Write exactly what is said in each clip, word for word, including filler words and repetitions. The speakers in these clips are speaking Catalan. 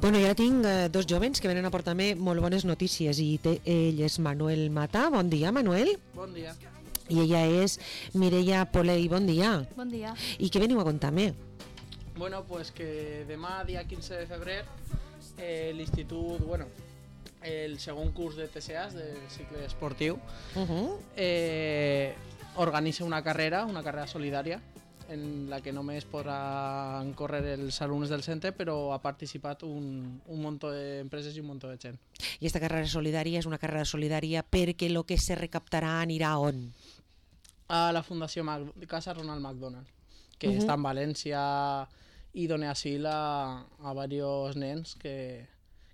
Bueno, jo tinc eh, dos jovens que venen a portar-me molt bones notícies i té, ell és Manuel Mata. Bon dia, Manuel. Bon dia. I ella és Mireia Polei. Bon dia. Bon dia. I què veniu a contar-me? Bueno, pues que demà, dia quinze de febrer, eh, l'institut, bueno, el segon curs de T C As, del cicle esportiu, Uh -huh. eh, organitza una carrera, una carrera solidària, en la que només podran córrer els alumnes del centre, però ha participat un, un munt d'empreses i un munt de gent. I aquesta carrera solidària és una carrera solidària perquè el que se recaptarà anirà on? A la Fundació Mac Casa Ronald McDonald, que Uh -huh. està en València i dona asil a, a diversos nens que,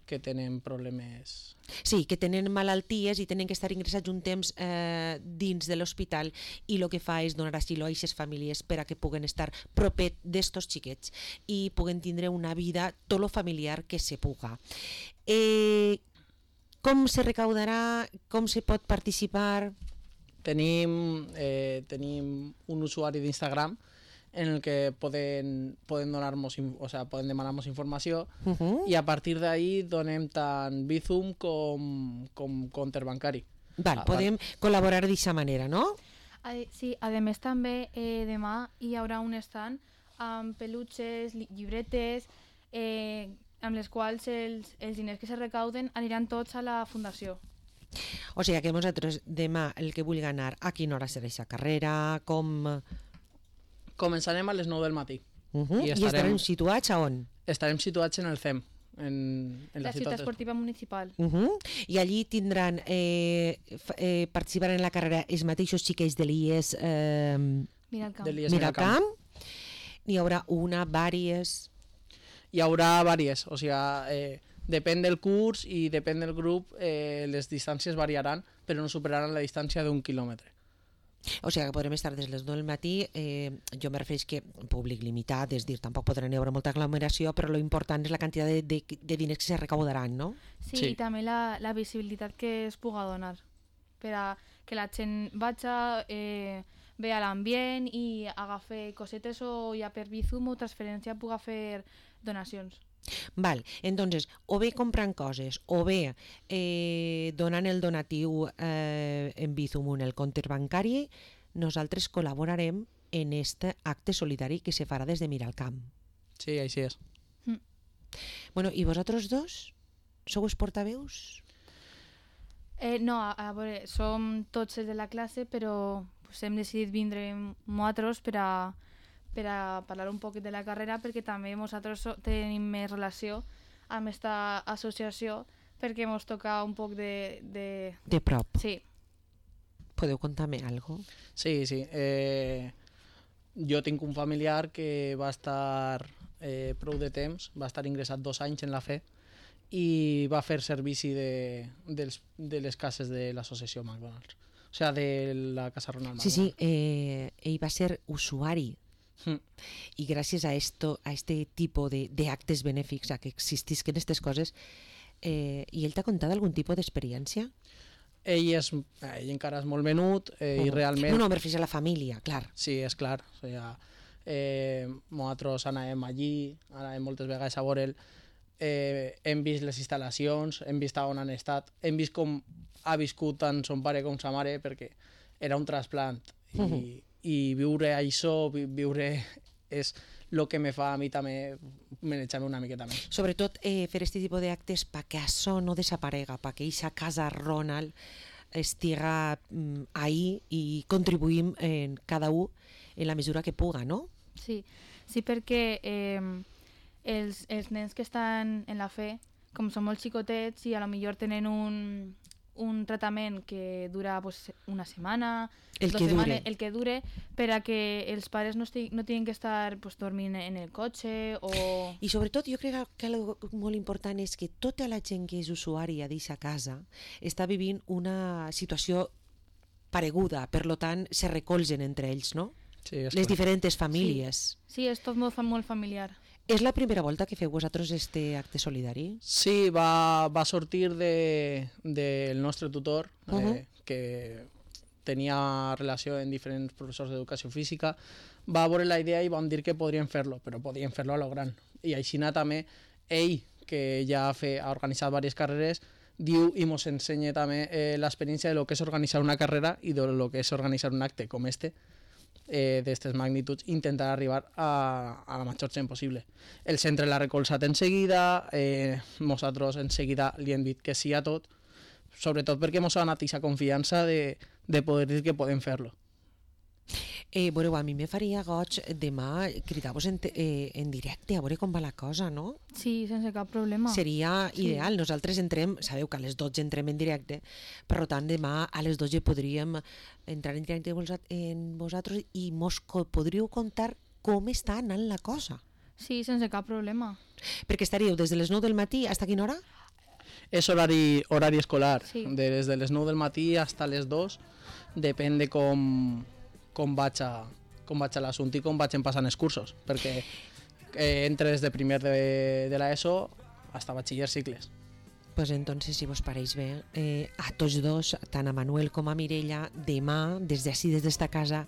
que tenen problemes. Sí, que tenen malalties i tenen que estar ingressats un temps eh, dins de l'hospital, i el que fa és donar asil a aquestes famílies per a que puguen estar propet d'estos xiquets i puguen tindre una vida tot lo familiar que se puga. Eh, com se recaudarà? Com se pot participar? Tenim, eh, tenim un usuari d'Instagram en el que poden, poden donar-nos, o sea, poden demanar-nos informació Uh -huh. i a partir d'ahí donem tant Bizum com, com compte bancari. Val, Ah, podem col·laborar d'aquesta manera, no? A, sí, a més també eh, demà hi haurà un stand amb peluches, li- llibretes, eh, amb les quals els, els diners que se recauden aniran tots a la fundació. O sigui que nosaltres demà el que vulgui anar, a quina hora serà aquesta carrera, com... Començarem a les nou del matí. Uh -huh. I I estarem- estarem situats a on? Estarem situats en el C E M, en, en la, La ciutat esportiva municipal. Uh -huh. I allí tindran, eh, f- eh, participaran en la carrera els mateixos xiquets de l'I E S eh, Mira el camp. de l'I E S Miralcamp. N'hi haurà una, vàries... Hi haurà vàries, o sigui, eh, depèn del curs i depèn del grup, eh, les distàncies variaran, però no superaran la distància d'un quilòmetre. O sigui que podrem estar des de les nou del matí, eh, jo me refereix que públic limitat, és dir, tampoc podran hi haure molta aglomeració, però lo important és la quantitat de, de, de diners que se recaudaran, no? Sí, Sí. i també la, la visibilitat que es puga donar per a que la gent vaja, eh, vea l'ambient i agafi cosetes o ja per Bizum o transferència puga fer donacions. Val, entonces, o bé comprant coses, o bé eh, donant el donatiu eh, en Bizum en el compte bancari, nosaltres col·laborarem en este acte solidari que se farà des de Miralcamp. Sí, així és. Mm. Bueno, i vosaltres dos? Sou els portaveus? Eh, no, a, a veure, som tots els de la classe, però pues, hem decidit vindre nosaltres per a, per a parlar un poc de la carrera, perquè també nosaltres so, tenim més relació amb aquesta associació, perquè ens toca un poc de... de... De prop. Sí, Podeu contar-me algo? Sí, sí. Eh, jo tinc un familiar que va estar eh, prou de temps, va estar ingressat dos anys en la fe i va fer servici de, dels, de les cases de l'associació McDonald's. O sigui, de la Casa Ronald Sí, McDonald. sí, eh, ell va ser usuari Mm. y gracias a esto, a este tipo de, de actes benèfics, a que existisquen aquestes coses, eh, i ell t'ha contat algun tipus d'experiència? Ell, és, ell encara és molt menut eh, i Uh-huh. realment... No, no, me refereix a la família, clar. Sí, és clar. O sigui, eh, nosaltres anàvem allí, anàvem moltes vegades a veure'l, eh, hem vist les instal·lacions, hem vist on han estat, hem vist com ha viscut tant son pare com sa mare, perquè era un trasplant. I, Mhm. i viure això, vi- viure és el que me fa a mi també manejar-me una miqueta més. Sobretot eh, fer aquest tipus d'actes perquè això no desaparega, perquè aquesta casa Ronald estiga mm, ahí i contribuïm en cada un en la mesura que puga, no? sí, sí perquè eh, els, els nens que estan en la fe, com són molt xicotets i a lo millor tenen un, un tractament que dura pues, una setmana, El dos que setmanes, dure. el que dure, per a que els pares no, esti, no tinguin que estar pues, dormint en el cotxe o... I sobretot jo crec que algo molt important és que tota la gent que és usuària d'aquesta casa està vivint una situació pareguda, per lo tant se recolzen entre ells, no? Sí, és Les clar. diferents famílies. Sí, és tot molt, fa- molt familiar. És la primera volta que feu vosaltres este acte solidari? Sí, va, va sortir de, del nostre tutor, eh, Uh-huh. que tenia relació amb diferents professors d'educació física, va veure la idea i vam dir que podríem fer-lo, però podíem fer-lo a lo gran. I així també ell, que ja ha, fe, ha organitzat diverses carreres, diu i ens ensenya també eh, l'experiència de lo que és organitzar una carrera i de lo que és organitzar un acte com este, eh, d'aquestes magnituds, intentar arribar a, a la major gent possible. El centre l'ha recolzat en seguida, eh, nosaltres en seguida li hem dit que sí a tot, sobretot perquè ens ha donat aquesta confiança de, de poder dir que podem fer-lo. Eh, veureu, a mi me faria goig demà cridar-vos en, eh, en directe, a veure com va la cosa, no? Sí, sense cap problema. Seria Sí. ideal. Nosaltres entrem, sabeu que a les dotze entrem en directe, per tant demà a les dotze podríem entrar en directe en vosaltres i mos co- podríeu contar com està anant la cosa. Sí, sense cap problema. Perquè estaríeu des de les nou del matí fins a quina hora? És horari, horari escolar, Sí. des de les nou del matí fins a les dos, depèn de com, com vaig a, com vaig a l'assumpte i com vaig passant els cursos, perquè eh, entre des de primer de, de l'ESO fins a batxiller cicles. Pues entonces, si vos pareix bé, eh, a tots dos, tant a Manuel com a Mireia, demà, des d'ací, des d'esta casa,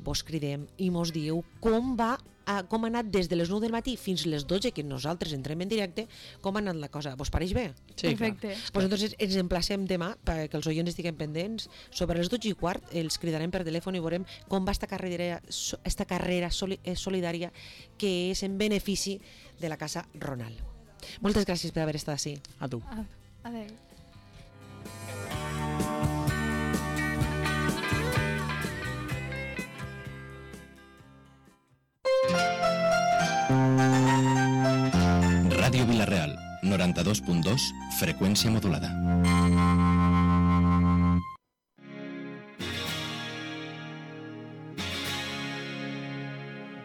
vos cridem i mos dieu com va, a, com ha anat des de les nou del matí fins les dotze, que nosaltres entrem en directe, com ha anat la cosa. Vos pareix bé? Sí, Perfecte. clar. Pues entonces ens emplacem demà perquè els oients estiguin pendents. Sobre les dotze i quart els cridarem per telèfon i veurem com va esta carrera, esta carrera soli, eh, solidària que és en benefici de la Casa Ronald. Moltes gràcies per haver estat ací. A tu. A- Adéu. Ràdio Vila-real, noranta-dos punt dos, freqüència modulada.